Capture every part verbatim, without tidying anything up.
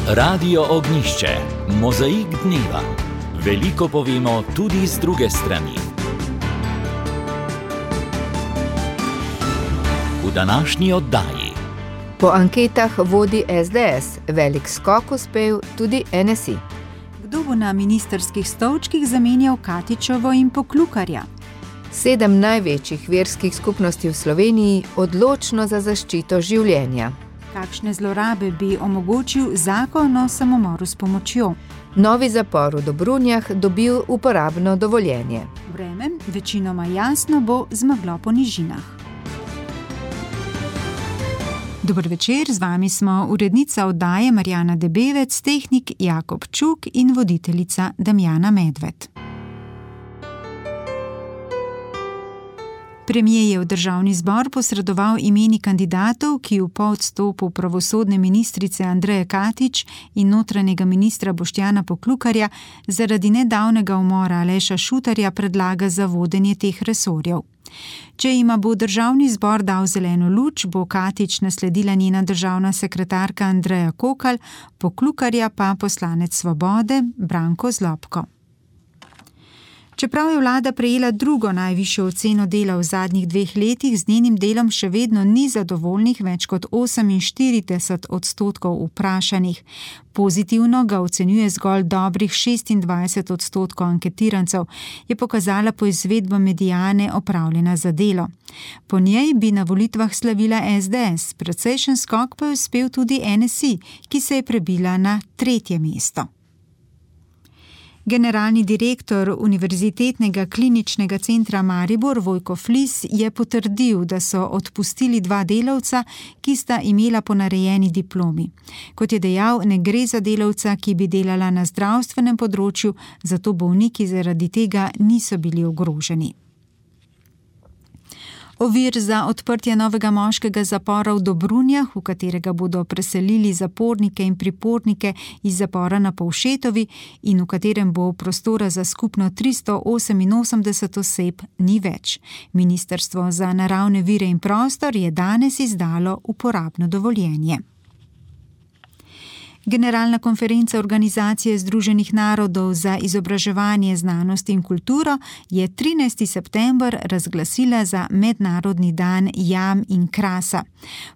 Radio Ognjišče, mozaik dneva. Veliko povemo tudi z druge strani. V današnji oddaji. Po anketah vodi es de es, velik skok uspel tudi en es i. Kdo bo na ministrskih stolčkih zamenjal Katičevo in Poklukarja? Sedem največjih verskih skupnosti v Sloveniji odločno za zaščito življenja. Kakšne zlorabe bi omogočil zakon o samomoru s pomočjo? Novi zapor v Dobrunjah dobil uporabno dovoljenje. Vreme, večinoma jasno, bo zmaglo po nižinah. Dober večer, z vami smo urednica oddaje Marjana Debevec, tehnik Jakob Čuk in voditeljica Damjana Medved. Premier je v državni zbor posredoval imeni kandidatov, ki v po odstopu pravosodne ministrice Andreje Katič in notranjega ministra Boštjana Poklukarja zaradi nedavnega umora Aleša Šutarja predlaga za vodenje teh resorjev. Če jima bo državni zbor dal zeleno luč, bo Katič nasledila njena državna sekretarka Andreja Kokalj, Poklukarja pa poslanec Svobode Branko Zlobko. Čeprav je vlada prejela drugo najvišjo oceno dela v zadnjih dveh letih, z njenim delom še vedno ni zadovoljnih več kot oseminštirideset odstotkov vprašanih. Pozitivno ga ocenjuje zgolj dobrih šestindvajset odstotkov anketirancev, je pokazala poizvedba Mediane opravljena za delo. Po njej bi na volitvah slavila es de es, precejšen skok pa je uspel tudi en es i, ki se je prebila na tretje mesto. Generalni direktor Univerzitetnega kliničnega centra Maribor Vojko Flis je potrdil, da so odpustili dva delavca, ki sta imela ponarejeni diplomi. Kot je dejal, ne gre za delavca, ki bi delala na zdravstvenem področju, zato bolniki zaradi tega niso bili ogroženi. Ovir za odprtje novega moškega zapora v Dobrunjah, v katerega bodo preselili zapornike in pripornike iz zapora na Povšetovi in v katerem bo prostora za skupno tristo oseminosemdeset oseb, ni več. Ministrstvo za naravne vire in prostor je danes izdalo uporabno dovoljenje. Generalna konferenca Organizacije združenih narodov za izobraževanje, znanost in kulturo je trinajsti september razglasila za Mednarodni dan jam in krasa.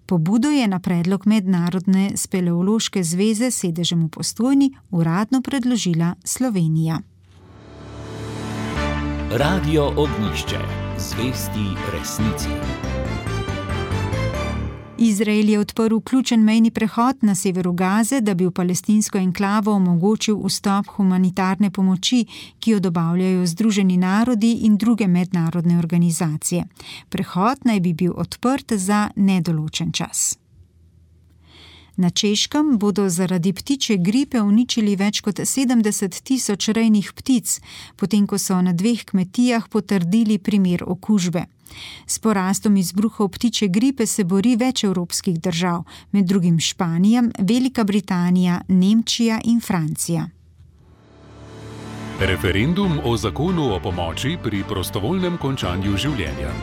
Pobudo je na predlog Mednarodne speleološke zveze s sedežem v Postojni uradno predložila Slovenija. Radio Ognjišče, zvesti resnici. Izrael je odprl ključen mejni prehod na severu Gaze, da bi v palestinsko enklavo omogočil vstop humanitarne pomoči, ki jo dobavljajo Združeni narodi in druge mednarodne organizacije. Prehod naj bi bil odprt za nedoločen čas. Na Češkem bodo zaradi ptičje gripe uničili več kot sedemdeset tisoč rejnih ptic, potem ko so na dveh kmetijah potrdili primer okužbe. S porastom izbruhov ptičje gripe se bori več evropskih držav, med drugim Španija, Velika Britanija, Nemčija in Francija. Referendum o zakonu o pomoči pri prostovoljnem končanju življenja.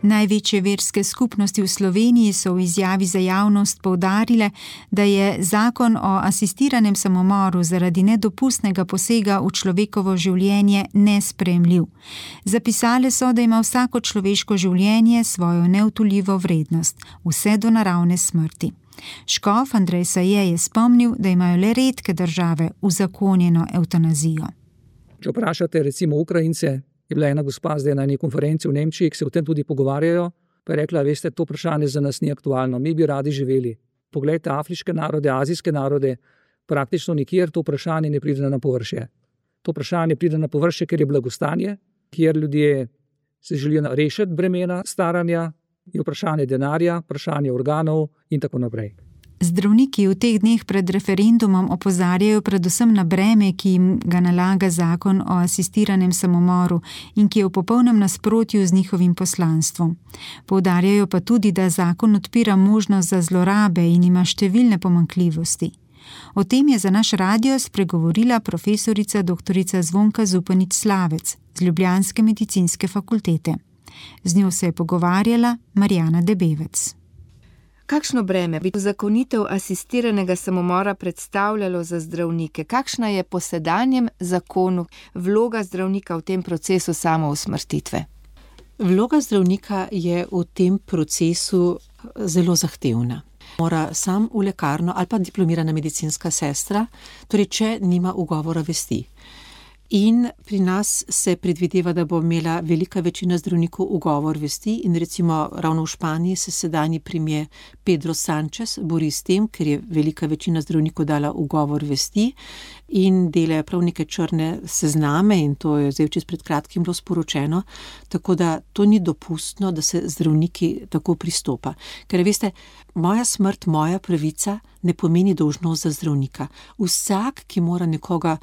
Največje verske skupnosti v Sloveniji so v izjavi za javnost poudarile, da je zakon o asistiranem samomoru zaradi nedopustnega posega v človekovo življenje nesprejemljiv. Zapisale so, da ima vsako človeško življenje svojo neodtujljivo vrednost, vse do naravne smrti. Škof Andrej Saje je spomnil, da imajo le redke države uzakonjeno evtanazijo. Če vprašate recimo Ukrajince, je bila ena gospa zdaj na eni konferenci v Nemčiji, ki se o tem tudi pogovarjajo, pa je rekla, veste, to vprašanje za nas ni aktualno, mi bi radi živeli. Poglejte afriške narode, azijske narode, praktično nikjer to vprašanje ne pride na površje. To vprašanje pride na površje, ker je blagostanje, kjer ljudje se želijo rešiti bremena staranja, je vprašanje denarja, vprašanje organov in tako naprej. Zdravniki v teh dneh pred referendumom opozarjajo predvsem na breme, ki jim ga nalaga zakon o asistiranem samomoru in ki je v popolnem nasprotju z njihovim poslanstvom. Poudarjajo pa tudi, da zakon odpira možnost za zlorabe in ima številne pomanjkljivosti. O tem je za naš radio spregovorila profesorica doktorica Zvonka Zupanič Slavec z Ljubljanske medicinske fakultete. Z njo se je pogovarjala Marjana Debevec. Kakšno breme bi uzakonitev asistiranega samomora predstavljalo za zdravnike? Kakšna je po sedanjem zakonu vloga zdravnika v tem procesu samousmrtitve? Vloga zdravnika je v tem procesu zelo zahtevna. Mora sam v lekarno ali pa diplomirana medicinska sestra, torej če nima ugovora vesti. In pri nas se predvideva, da bo imela velika večina zdravnikov ugovor vesti in recimo ravno v Španiji se sedanji premier Pedro Sánchez bori s tem, ker je velika večina zdravnikov dala ugovor vesti in delajo prav neke črne sezname in to je zdaj čez pred kratkim bilo sporočeno, tako da to ni dopustno, da se zdravniki tako pristopa. Ker veste, moja smrt, moja pravica ne pomeni dolžnost za zdravnika. Vsak, ki mora nekoga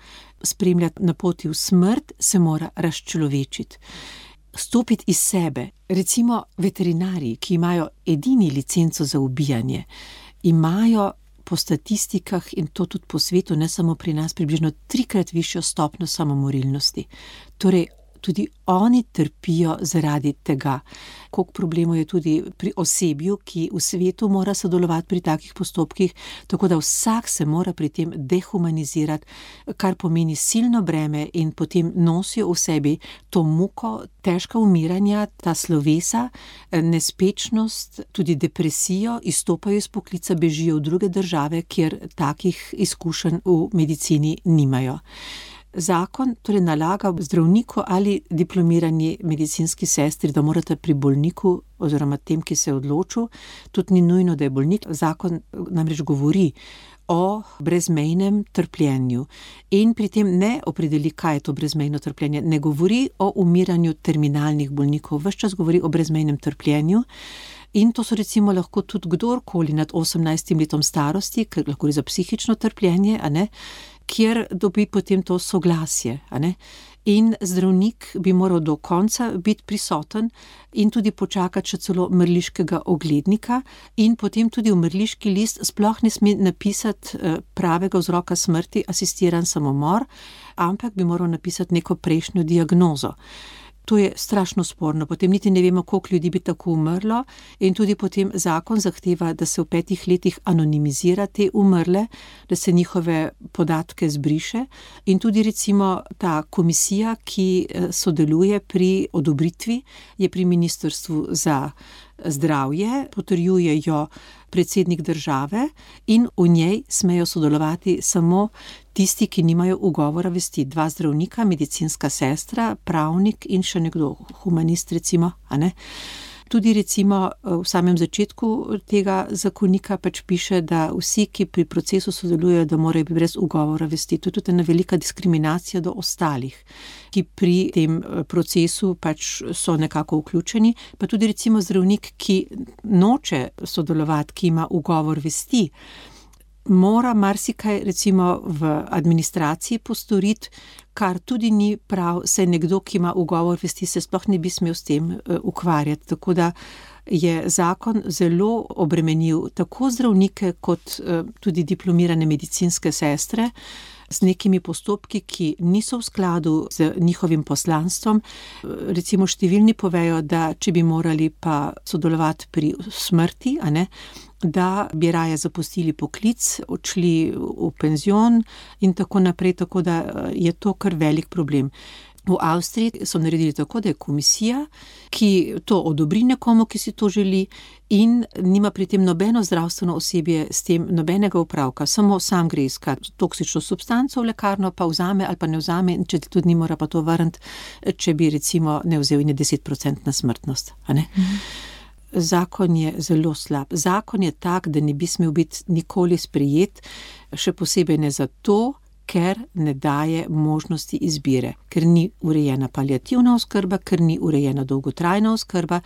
spremljati na poti v smrt, se mora razčlovečiti. Stopiti iz sebe. Recimo veterinarji, ki imajo edini licenco za ubijanje, imajo po statistikah in to tudi po svetu, ne samo pri nas, približno trikrat višjo stopnjo samomorilnosti. Torej, tudi oni trpijo zaradi tega. Koliko problemov je tudi pri osebju, ki v svetu mora sodelovati pri takih postopkih, tako da vsak se mora pri tem dehumanizirati, kar pomeni silno breme in potem nosijo v sebi to muko, težka umiranja, ta slovesa, nespečnost, tudi depresijo, izstopajo iz poklica, bežijo v druge države, kjer takih izkušenj v medicini nimajo. Zakon torej nalaga zdravniku ali diplomirani medicinski sestri, da morate pri bolniku oziroma tem, ki se je odločil, tudi ni nujno, da je bolnik. Zakon namreč govori o brezmejnem trpljenju in pri tem ne opredeli, kaj je to brezmejno trpljenje, ne govori o umiranju terminalnih bolnikov, ves čas govori o brezmejnem trpljenju. In to so recimo lahko tudi kdorkoli nad osemnajstim letom starosti, ker lahko gre za psihično trpljenje, a ne, kjer dobi potem to soglasje, a ne. In zdravnik bi moral do konca biti prisoten in tudi počakati še celo mrliškega oglednika in potem tudi v mrliški list sploh ne sme napisati pravega vzroka smrti, asistiran samomor, ampak bi moral napisati neko prejšnjo diagnozo. To je strašno sporno, potem niti ne vemo, koliko ljudi bi tako umrlo in tudi potem zakon zahteva, da se v petih letih anonimizira te umrle, da se njihove podatke zbriše in tudi recimo ta komisija, ki sodeluje pri odobritvi, je pri Ministrstvu za zdravje, potrjuje jo predsednik države in v njej smejo sodelovati samo tisti, ki nimajo ugovora vesti. Dva zdravnika, medicinska sestra, pravnik in še nekdo, humanist recimo, a ne. Tudi recimo v samem začetku tega zakonika pač piše, da vsi, ki pri procesu sodelujejo, da morajo biti brez ugovora vesti. To je tudi ena velika diskriminacija do ostalih, ki pri tem procesu pač so nekako vključeni. Pa tudi recimo zdravnik, ki noče sodelovati, ki ima ugovor vesti, mora marsikaj recimo v administraciji postoriti, kar tudi ni prav, saj nekdo, ki ima ugovor vesti, se sploh ne bi smel s tem ukvarjati. Tako da je zakon zelo obremenil tako zdravnike kot tudi diplomirane medicinske sestre z nekimi postopki, ki niso v skladu z njihovim poslanstvom. Recimo številni povejo, da če bi morali pa sodelovati pri smrti, a ne, da bi raje zapustili poklic, odšli v penzion in tako naprej, tako da je to kar velik problem. V Avstriji so naredili tako, da je komisija, ki to odobri nekomu, ki si to želi in nima pri tem nobeno zdravstveno osebje s tem nobenega opravka, samo sam gre iskat toksično substanco v lekarno, pa vzame ali pa ne vzame, če tudi ni mora pa to vrniti, če bi recimo ne vzel in je deset procentna smrtnost, a ne. Mhm. Zakon je zelo slab. Zakon je tak, da ne bi smel biti nikoli sprejet, še posebej ne zato, ker ne daje možnosti izbire, ker ni urejena paliativna oskrba, ker ni urejena dolgotrajna oskrba,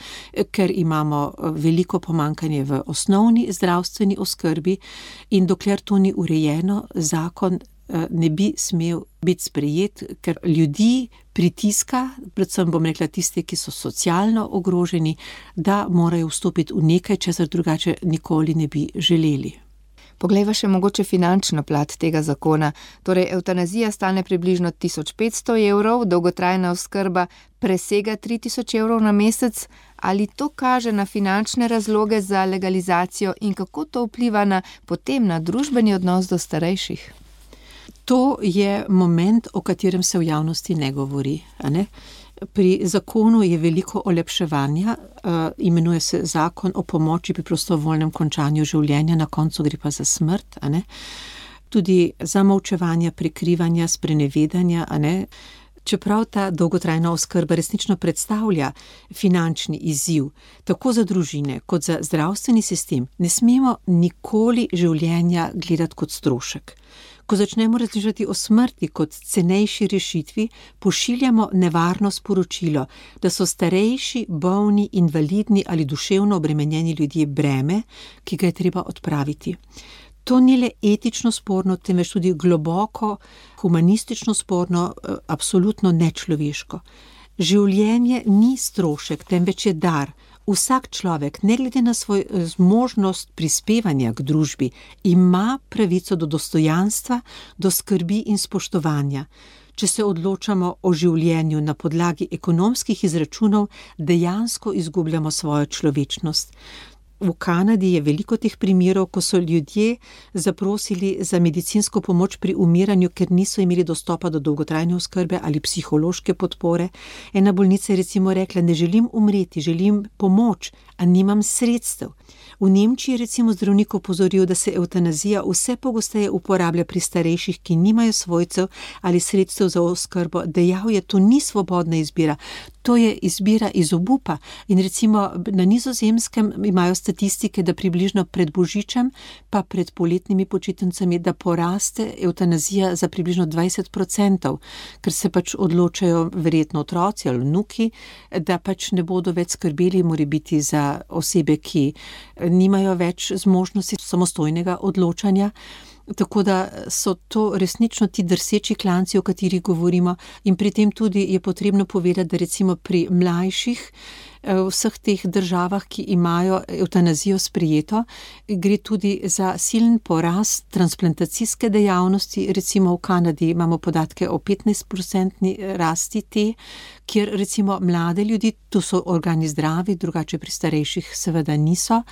ker imamo veliko pomanjkanje v osnovni zdravstveni oskrbi in dokler to ni urejeno, zakon ne bi smel biti sprejet, ker ljudi pritiska, predvsem bom rekla tiste, ki so socialno ogroženi, da morajo vstopiti v nekaj, česar drugače nikoli ne bi želeli. Poglejva še mogoče finančno plat tega zakona. Torej, evtanazija stane približno tisoč petsto evrov, dolgotrajna oskrba presega tri tisoč evrov na mesec. Ali to kaže na finančne razloge za legalizacijo in kako to vpliva na, potem na družbeni odnos do starejših? To je moment, o katerem se v javnosti ne govori. A ne? Pri zakonu je veliko olepševanja, uh, imenuje se zakon o pomoči pri prostovoljnem končanju življenja, na koncu gre pa za smrt. A ne? Tudi zamolčevanja, prikrivanja, sprenevedanja, a ne? Čeprav ta dolgotrajna oskrba resnično predstavlja finančni izziv, tako za družine kot za zdravstveni sistem, ne smemo nikoli življenja gledati kot strošek. Ko začnemo razmišljati o smrti kot cenejši rešitvi, pošiljamo nevarno sporočilo, da so starejši, bolni, invalidni ali duševno obremenjeni ljudje breme, ki ga je treba odpraviti. To ni le etično sporno, temveč tudi globoko, humanistično sporno, absolutno nečloveško. Življenje ni strošek, temveč je dar. Vsak človek, ne glede na svoj zmožnost prispevanja k družbi, ima pravico do dostojanstva, do skrbi in spoštovanja. Če se odločamo o življenju na podlagi ekonomskih izračunov, dejansko izgubljamo svojo človečnost. V Kanadi je veliko teh primerov, ko so ljudje zaprosili za medicinsko pomoč pri umiranju, ker niso imeli dostopa do dolgotrajne oskrbe ali psihološke podpore. Ena bolnica je recimo rekla, ne želim umreti, želim pomoč, a nimam sredstev. V Nemčiji je recimo zdravnik opozoril, da se evtanazija vse pogosteje uporablja pri starejših, ki nimajo svojcev ali sredstev za oskrbo. Dejal je, to ni svobodna izbira, to je izbira iz obupa. In recimo na Nizozemskem imajo statistike, da približno pred Božičem pa pred poletnimi počitnicami, da poraste evtanazija za približno dvajset procentov, ker se pač odločajo verjetno otroci ali vnuki, da pač ne bodo več skrbeli morebiti za osebe, ki nimajo več zmožnosti samostojnega odločanja. Tako da so to resnično ti drseči klanci, o katerih govorimo, in pri tem tudi je potrebno povedati, da recimo pri mlajših v vseh teh državah, ki imajo evtanazijo sprejeto, gre tudi za silen porast transplantacijske dejavnosti. Recimo v Kanadi imamo podatke o petnajst procentni rasti te, kjer recimo mlade ljudi, to so organi zdravi, drugače pri starejših seveda niso,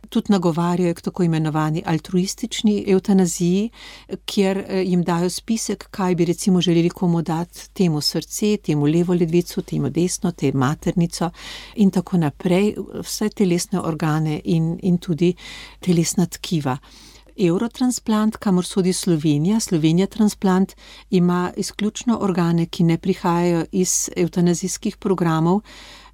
tudi nagovarjajo k tako imenovani altruistični evtanaziji, kjer jim dajo spisek, kaj bi recimo želeli komu dati, temu srce, temu levo ledvico, temu desno, temu maternico in tako naprej, vse telesne organe in, in tudi telesna tkiva. Eurotransplant, kamor sodi Slovenija, Slovenija Transplant ima izključno organe, ki ne prihajajo iz evtanazijskih programov,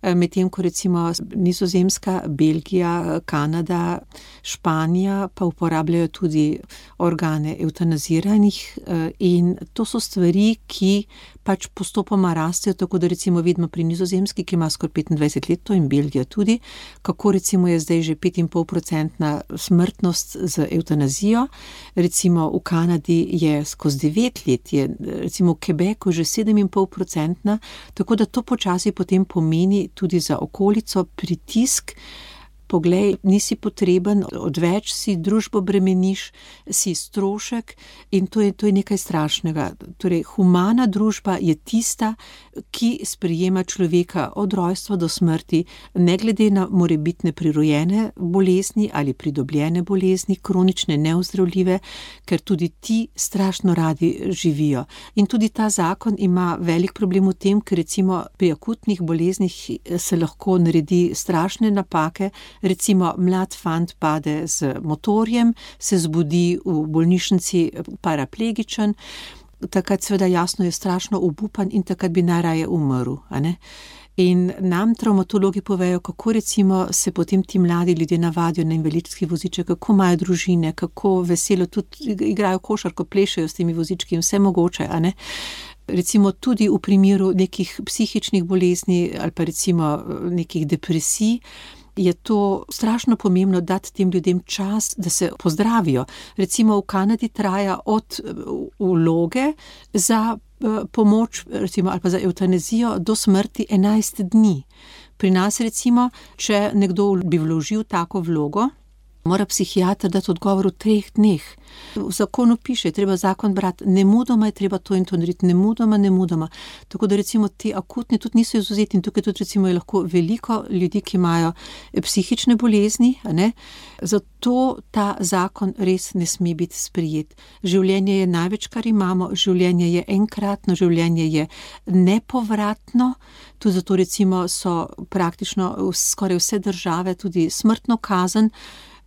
medtem ko recimo Nizozemska, Belgija, Kanada, Španija pa uporabljajo tudi organe evtanaziranih in to so stvari, ki pač postopoma rastejo, tako da recimo vidimo pri Nizozemski, ki ima skoraj petindvajset let, to in Belgija tudi, kako recimo je zdaj že pet in pol procentna smrtnost z evtanazijo, recimo v Kanadi je skozi devet let, je recimo v Quebecu že sedem in pol procentna, tako da to počasi potem pomeni tudi za okolico pritisk. Poglej, nisi potreben, odveč si, družbo bremeniš, si strošek in to je, to je nekaj strašnega. Torej, humana družba je tista, ki sprejema človeka od rojstva do smrti, ne glede na morebitne prirojene bolezni ali pridobljene bolezni, kronične, neozdravljive, ker tudi ti strašno radi živijo. In tudi ta zakon ima velik problem v tem, ker recimo pri akutnih boleznih se lahko naredi strašne napake. Recimo, mlad fant pade z motorjem, se zbudi v bolnišnici paraplegičen, takrat seveda jasno je strašno obupan in takrat bi najraje umrl, a ne? In nam travmatologi povejo, kako recimo se potem ti mladi ljudje navadijo na invalidski voziček, kako imajo družine, kako veselo tudi igrajo košarko, plešejo s temi vozički in vse mogoče, a ne? Recimo tudi v primeru nekih psihičnih bolezni ali pa recimo nekih depresij, je to strašno pomembno dati tem ljudem čas, da se pozdravijo. Recimo v Kanadi traja od vloge za pomoč, recimo, ali pa za evtanazijo do smrti enajst dni. Pri nas recimo, če nekdo bi vložil tako vlogo, mora psihiater dati odgovor v treh dneh. V zakonu piše, treba zakon brati, nemudoma je treba to in to narediti, nemudoma, nemudoma. Tako da recimo ti akutni tudi niso izvzeti in tukaj tudi recimo je lahko veliko ljudi, ki imajo psihične bolezni, a ne? Zato ta zakon res ne sme biti sprejet. Življenje je največ, kar imamo, življenje je enkratno, življenje je nepovratno, tudi zato recimo so praktično skoraj vse države tudi smrtno kazen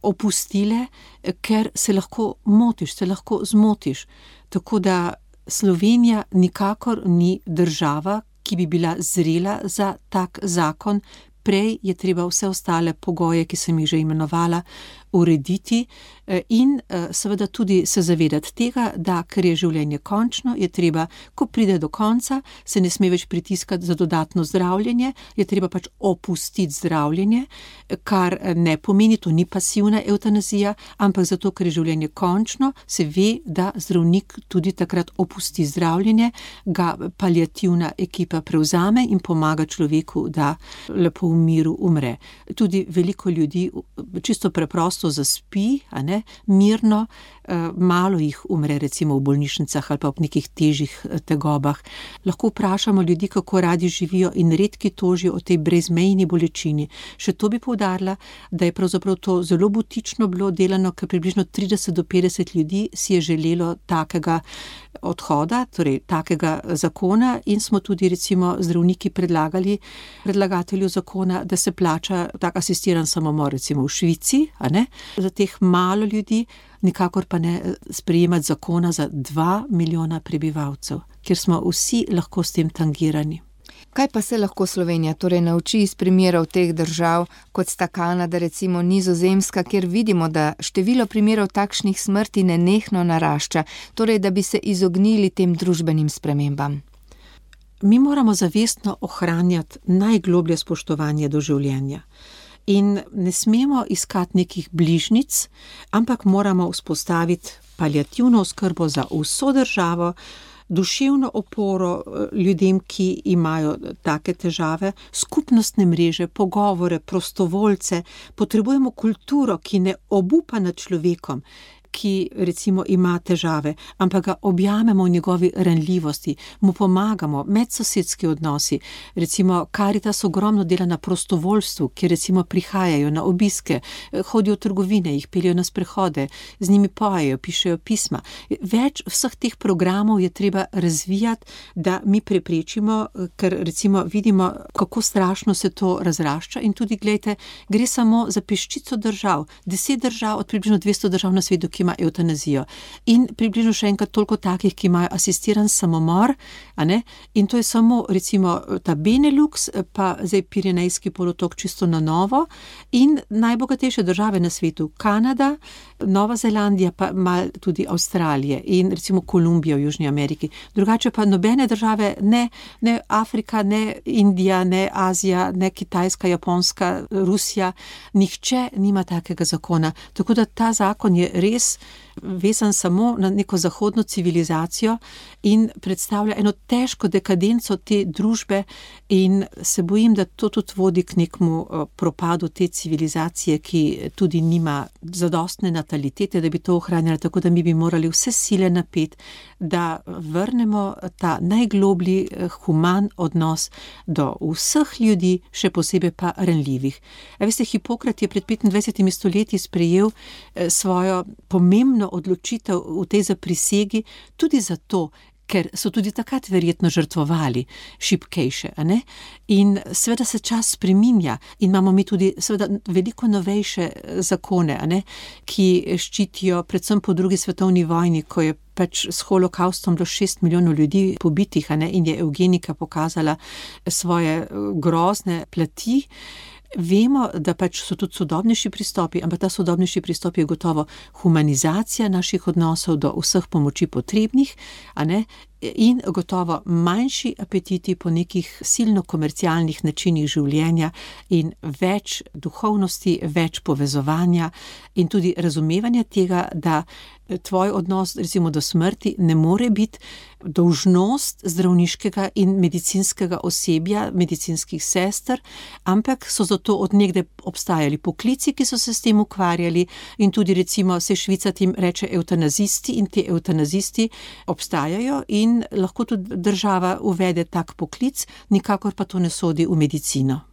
opustile, ker se lahko motiš, se lahko zmotiš. Tako da Slovenija nikakor ni država, ki bi bila zrela za tak zakon. Prej je treba vse ostale pogoje, ki sem jih že imenovala, urediti in seveda tudi se zavedati tega, da ker je življenje končno, je treba, ko pride do konca, se ne sme več pritiskati za dodatno zdravljenje, je treba pač opustiti zdravljenje, kar ne pomeni, to ni pasivna evtanazija, ampak zato, ker je življenje končno, se ve, da zdravnik tudi takrat opusti zdravljenje, ga paliativna ekipa prevzame in pomaga človeku, da lepo v miru umre. Tudi veliko ljudi čisto preprosto zaspi, a ne, mirno, malo jih umre recimo v bolnišnicah ali pa v nekih težjih tegobah. Lahko vprašamo ljudi, kako radi živijo in redki tožijo o tej brezmejni bolečini. Še to bi poudarila, da je pravzaprav to zelo butično bilo delano, ker približno trideset do petdeset ljudi si je želelo takega odhoda, torej takega zakona in smo tudi recimo zdravniki predlagali predlagatelju zakona, da se plača tak asistiran samomor recimo v Švici, a ne, za teh malo ljudi, nikakor pa ne sprejemati zakona za dva milijona prebivalcev, kjer smo vsi lahko s tem tangirani. Kaj pa se lahko Slovenija torej nauči iz primerov teh držav, kot sta Kanada, recimo Nizozemska, kjer vidimo, da število primerov takšnih smrti nenehno narašča, torej da bi se izognili tem družbenim spremembam? Mi moramo zavestno ohranjati najgloblje spoštovanje do življenja. In ne smemo iskati nekih bližnic, ampak moramo vzpostaviti paliativno oskrbo za vso državo, duševno oporo ljudem, ki imajo take težave, skupnostne mreže, pogovore, prostovoljce. Potrebujemo kulturo, ki ne obupa nad človekom, ki recimo ima težave, ampak ga objamemo v njegovi ranljivosti, mu pomagamo, medsosedski odnosi. Recimo Karitas ogromno dela na prostovoljstvu, ki recimo prihajajo na obiske, hodijo v trgovine, jih peljejo na sprehode, z njimi pojejo, pišejo pisma. Več vseh teh programov je treba razvijati, da mi preprečimo, ker recimo vidimo, kako strašno se to razrašča in tudi, glejte, gre samo za peščico držav, deset držav od približno dvesto držav na svetu, ki ima eutanazijo. In približno še enkrat toliko takih, ki imajo asistiran samomor, a ne? In to je samo recimo ta Benelux, pa zdaj Pirenejski polotok čisto na novo in najbogatejše države na svetu, Kanada, Nova Zelandija, pa malo tudi Avstralije in recimo Kolumbija v Južni Ameriki. Drugače pa nobene države, ne, ne Afrika, ne Indija, ne Azija, ne Kitajska, Japonska, Rusija, nihče nima takega zakona. Tako da ta zakon je res vezan samo na neko zahodno civilizacijo in predstavlja eno težko dekadenco te družbe in se bojim, da to tudi vodi k nekemu propadu te civilizacije, ki tudi nima zadostne natalitete, da bi to ohranjala, tako da mi bi morali vse sile napeti, da vrnemo ta najgloblji human odnos do vseh ljudi, še posebej pa ranljivih. A veste, Hipokrat je pred petindvajsetimi stoletji sprejel svojo pomembno odločitev v tej zaprisegi tudi zato, ker so tudi takrat verjetno žrtvovali šibkejše, a ne? In seveda se čas spreminja in imamo mi tudi seveda veliko novejše zakone, a ne? Ki ščitijo predvsem po drugi svetovni vojni, ko je pač s holokaustom bilo šest milijonov ljudi pobitih, a ne? In je evgenika pokazala svoje grozne plati. Vemo, da pač so tudi sodobnejši pristopi, ampak ta sodobnejši pristop je gotovo humanizacija naših odnosov do vseh pomoči potrebnih, a ne? in gotovo manjši apetiti po nekih silno komercialnih načinih življenja in več duhovnosti, več povezovanja in tudi razumevanja tega, da tvoj odnos recimo do smrti ne more biti dolžnost zdravniškega in medicinskega osebja, medicinskih sester, ampak so zato od nekdaj obstajali poklici, ki so se s tem ukvarjali in tudi recimo se Švica tim reče evtanazisti in te evtanazisti obstajajo in lahko tudi država uvede tak poklic, nikakor pa to ne sodi v medicino.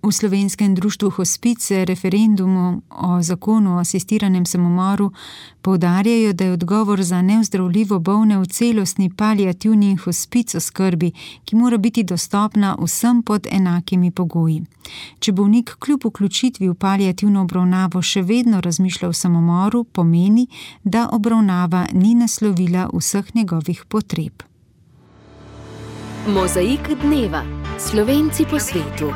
V Slovenskem društvu Hospic referendumu o zakonu o asistiranem samomoru poudarjajo, da je odgovor za neozdravljivo bolne v celostni paliativni in hospic oskrbi, ki mora biti dostopna vsem pod enakimi pogoji. Če bolnik kljub vključitvi v paliativno obravnavo še vedno razmišlja o samomoru, pomeni, da obravnava ni naslovila vseh njegovih potreb. Mozaik dneva. Slovenci po svetu.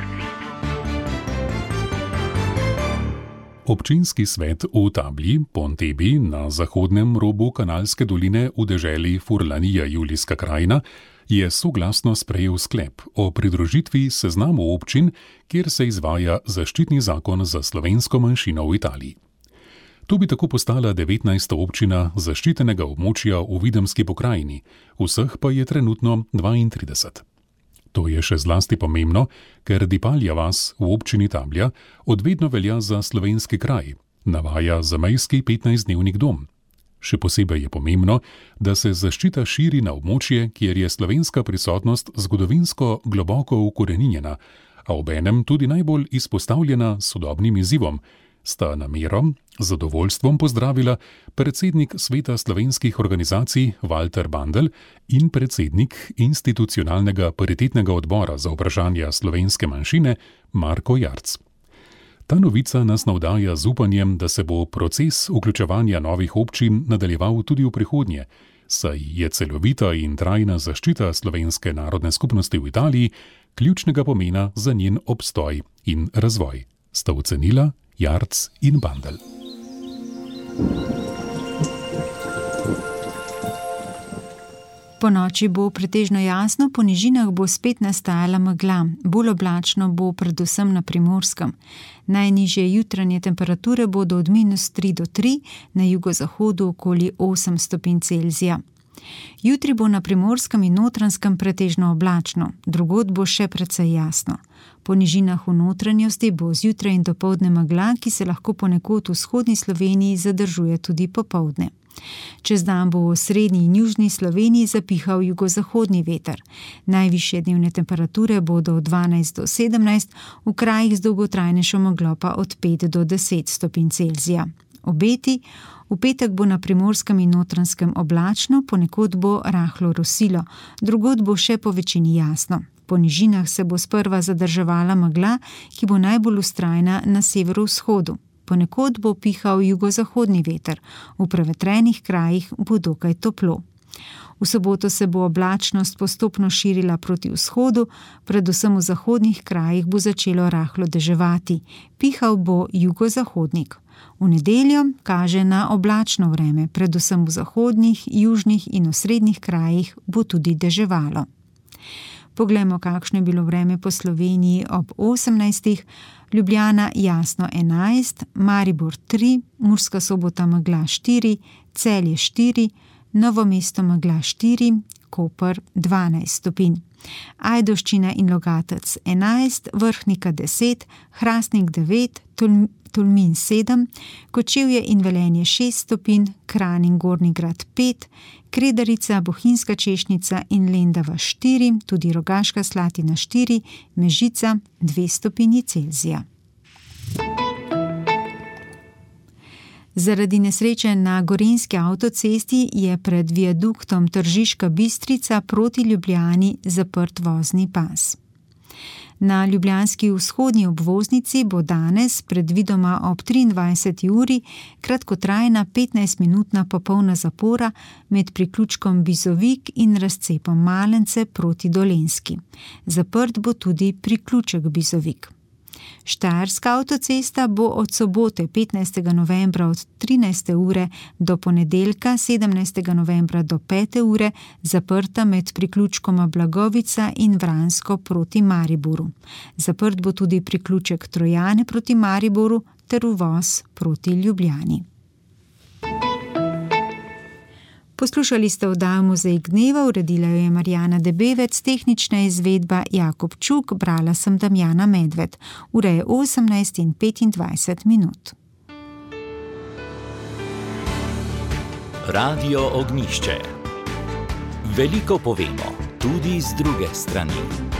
Občinski svet v Tablji, Pontebi, na zahodnem robu Kanalske doline v deželi Furlanija Julijska krajina, je soglasno sprejel sklep o pridružitvi seznamu občin, kjer se izvaja zaščitni zakon za slovensko manjšino v Italiji. To bi tako postala devetnajsta občina zaščitenega območja v Videmski pokrajini, vseh pa je trenutno dvaintrideset. To je še zlasti pomembno, ker Dipalja vas v občini Tablja odvedno velja za slovenski kraj, navaja zamejski petnajstdnevnik Dom. Še posebej je pomembno, da se zaščita širi na območje, kjer je slovenska prisotnost zgodovinsko globoko ukoreninjena, a obenem tudi najbolj izpostavljena sodobnim izzivom, sta namero z zadovoljstvom pozdravila predsednik Sveta slovenskih organizacij Walter Bandl in predsednik institucionalnega paritetnega odbora za vprašanja slovenske manjšine Marko Jarc. Ta novica nas navdaja z upanjem, da se bo proces vključevanja novih občin nadaljeval tudi v prihodnje, saj je celovita in trajna zaščita slovenske narodne skupnosti v Italiji ključnega pomena za njen obstoj in razvoj, sta ocenila Jarc in Bandl. Po noči bo pretežno jasno, po nižinah bo spet nastajala megla, bolj oblačno bo predvsem na Primorskem. Najnižje jutranje temperature bodo od minus tri do tri, na jugozahodu okoli osem stopinj Celzija. Jutri bo na Primorskem in Notranjskem pretežno oblačno, drugod bo še precej jasno. Po nižinah v notranjosti bo zjutraj in dopoldne megla, ki se lahko ponekod v vzhodni Sloveniji zadržuje tudi popoldne. Čez dan bo v srednji in južni Sloveniji zapihal jugozahodni veter. Najvišje dnevne temperature bodo od dvanajst do sedemnajst, v krajih z dolgotrajnejšo meglo pa od pet do deset stopinj Celzija. Obeti: v petek bo na Primorskem in Notranjskem oblačno, ponekod bo rahlo rosilo, drugod bo še po večini jasno. Po nižinah se bo sprva zadrževala megla, ki bo najbolj vztrajna na severovzhodu. Ponekod bo pihal jugozahodni veter, v prevetrenih krajih bo dokaj toplo. V soboto se bo oblačnost postopno širila proti vzhodu, predvsem v zahodnih krajih bo začelo rahlo deževati, pihal bo jugozahodnik. V nedeljo kaže na oblačno vreme, predvsem v zahodnih, južnih in osrednjih krajih bo tudi deževalo. Poglejmo, kakšno je bilo vreme po Sloveniji ob osemnajstih. Ljubljana jasno enajst, Maribor tri, Murska Sobota megla štiri, Celje štiri, Novo mesto megla štiri, Koper dvanajst stopinj. Ajdovščina in Logatec enajst, Vrhnika deset, Hrastnik devet, Tol- Tolmin sedem, Kočevje in Velenje šest stopinj, Kranj in Gornji Grad pet, Kredarica, Bohinjska Češnica in Lendava štiri, tudi Rogaška Slatina štiri, Mežica dve stopinji Celzija. Zaradi nesreče na Gorenjski avtocesti je pred viaduktom Tržiška Bistrica proti Ljubljani zaprt vozni pas. Na ljubljanski vzhodni obvoznici bo danes, predvidoma ob triindvajseti uri, kratkotrajna petnajstminutna popolna zapora med priključkom Bizovik in razcepom Malence proti Dolenjski. Zaprt bo tudi priključek Bizovik. Štajerska avtocesta bo od sobote petnajstega novembra od trinajste ure do ponedeljka sedemnajstega novembra do pete ure zaprta med priključkoma Blagovica in Vransko proti Mariboru. Zaprt bo tudi priključek Trojane proti Mariboru ter uvoz proti Ljubljani. Poslušali ste oddajo Mozaik dneva, uredila jo je Marjana Debevec, tehnična izvedba Jakob Čuk, brala sem Damjana Medved. Ura je osemnajst in petindvajset minut. Radio Ognjišče. Veliko povemo, tudi z druge strani.